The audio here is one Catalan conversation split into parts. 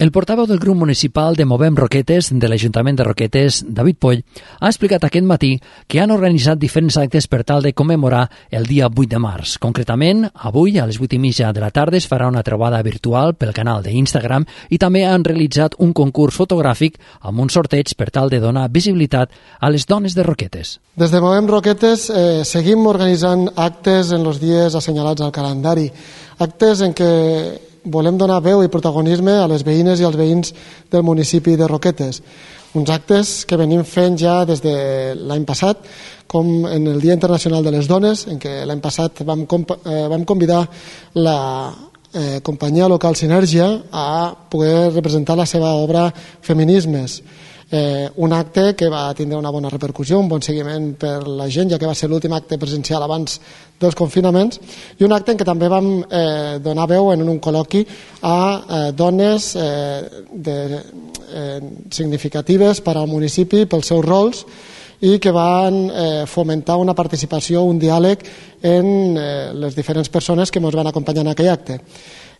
El portaveu del grup municipal de Movem Roquetes de l'Ajuntament de Roquetes, David Poll, ha explicat aquest matí que han organitzat diferents actes per tal de commemorar el dia 8 de març. Concretament, avui a les 8:30 de la tarda es farà una trobada virtual pel canal d'Instagram i també han realitzat un concurs fotogràfic amb un sorteig per tal de donar visibilitat a les dones de Roquetes. Des de Movem Roquetes seguim organitzant actes en els dies assenyalats al calendari, actes en què volem donar veu i protagonisme a les veïnes i als veïns del municipi de Roquetes. Uns actes que venim fent ja des de l'any passat, com en el Dia Internacional de les Dones, en què l'any passat vam convidar la companyia local Sinergia a poder representar la seva obra Feminismes. Un acte que va tindre una bona repercussió, un bon seguiment per la gent, ja que va ser l'últim acte presencial abans dels confinaments, i un acte en què també vam donar veu en un col·loqui a dones significatives per al municipi pels seus rols i que van fomentar una participació, un diàleg en les diferents persones que ens van acompanyar en aquell acte.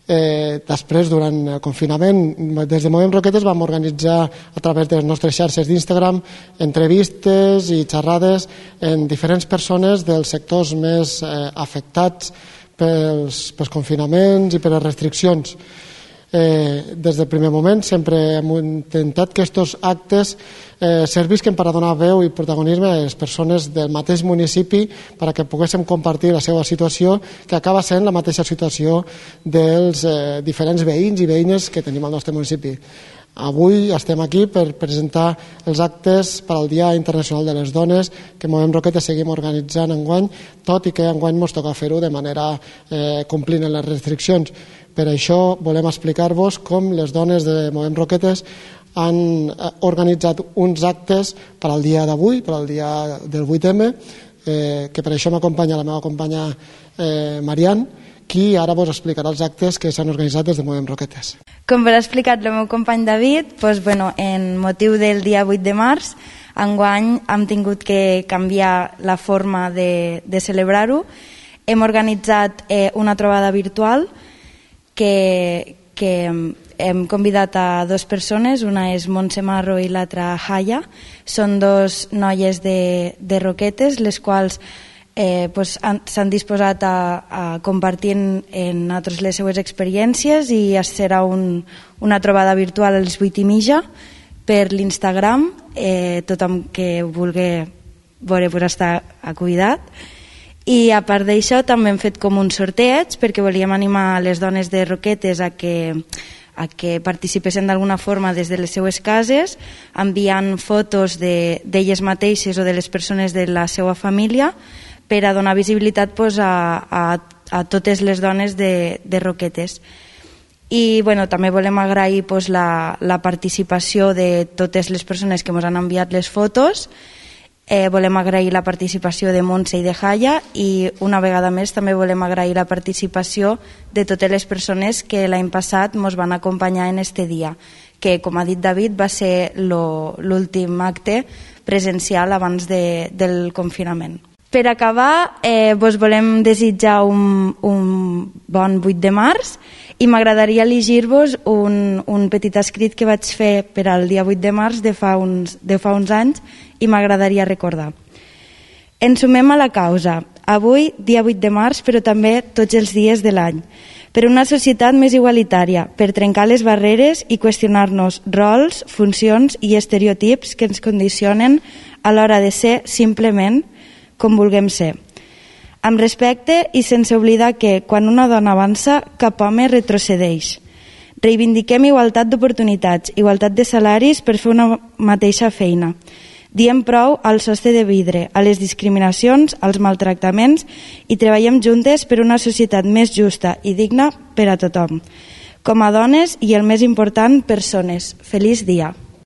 Després, durant el confinament, des de Movem Roquetes vam organitzar a través de les nostres xarxes d'Instagram entrevistes i xerrades en diferents persones dels sectors més afectats pels confinaments i per les restriccions. Des del primer moment sempre hem intentat que aquests actes servisquen per a donar veu i protagonisme a les persones del mateix municipi perquè poguéssim compartir la seva situació, que acaba sent la mateixa situació dels diferents veïns i veïnes que tenim al nostre municipi. Avui estem aquí per presentar els actes per al Dia Internacional de les Dones que Movem Roquetes seguim organitzant enguany, tot i que enguany ens toca fer-ho de manera complint en les restriccions. Per això volem explicar-vos com les dones de Movem Roquetes han organitzat uns actes per al dia d'avui, per al dia del 8M, que per això m'acompanya la meva companya Marian, qui ara vos explicarà els actes que s'han organitzat des de Movem Roquetes. Com vos ha explicat el meu company David, en motiu del dia 8 de març, enguany hem tingut que canviar la forma de celebrar-ho. Hem organitzat una trobada virtual que hem convidat a dues persones, una és Montse Marro i l'altra Haya. Són dos noies de Roquetes, les quals s'han disposat a compartir en nosaltres les seues experiències, i serà una trobada virtual a les 8:30 per l'Instagram. Tothom que vulgui veure està convidat. I a part d'això també hem fet com un sorteig perquè volíem animar les dones de Roquetes a que participessin d'alguna forma des de les seues cases, enviant fotos d'elles mateixes o de les persones de la seva família per a donar visibilitat a totes les dones de Roquetes. I també volem agrair la participació de totes les persones que ens han enviat les fotos. Volem agrair la participació de Montse i de Haya, i una vegada més també volem agrair la participació de totes les persones que l'any passat ens van acompanyar en este dia, que, com ha dit David, va ser l'últim acte presencial abans del confinament. Per acabar, vos volem desitjar un bon 8 de març, i m'agradaria llegir-vos un petit escrit que vaig fer per al dia 8 de març de fa uns anys, i m'agradaria recordar. Ens sumem a la causa, avui, dia 8 de març, però també tots els dies de l'any, per una societat més igualitària, per trencar les barreres i qüestionar-nos rols, funcions i estereotips que ens condicionen a l'hora de ser simplement com vulguem ser. Amb respecte i sense oblidar que, quan una dona avança, cap home retrocedeix. Reivindiquem igualtat d'oportunitats, igualtat de salaris per fer una mateixa feina. Diem prou al sostre de vidre, a les discriminacions, als maltractaments, i treballem juntes per una societat més justa i digna per a tothom. Com a dones i, el més important, persones. Feliç dia!